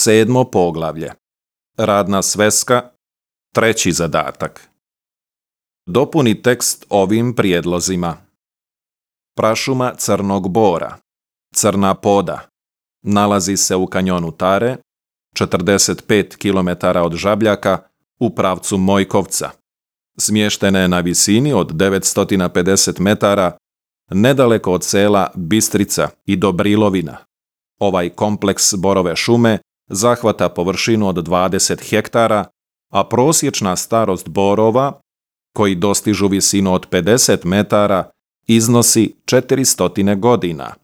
7. poglavlje. Radna sveska, 3. zadatak. Dopuni tekst ovim prijedlozima. Prašuma Crnog Bora, Crna Poda, nalazi se u kanjonu Tare, 45 km od Žabljaka, u pravcu Mojkovca. Smještena je na visini od 950 metara, nedaleko od sela Bistrica i Dobrilovina. Ovaj kompleks borove šume zahvata površinu od 20 hektara, a prosječna starost borova, koji dostižu visinu od 50 metara, iznosi 400 godina.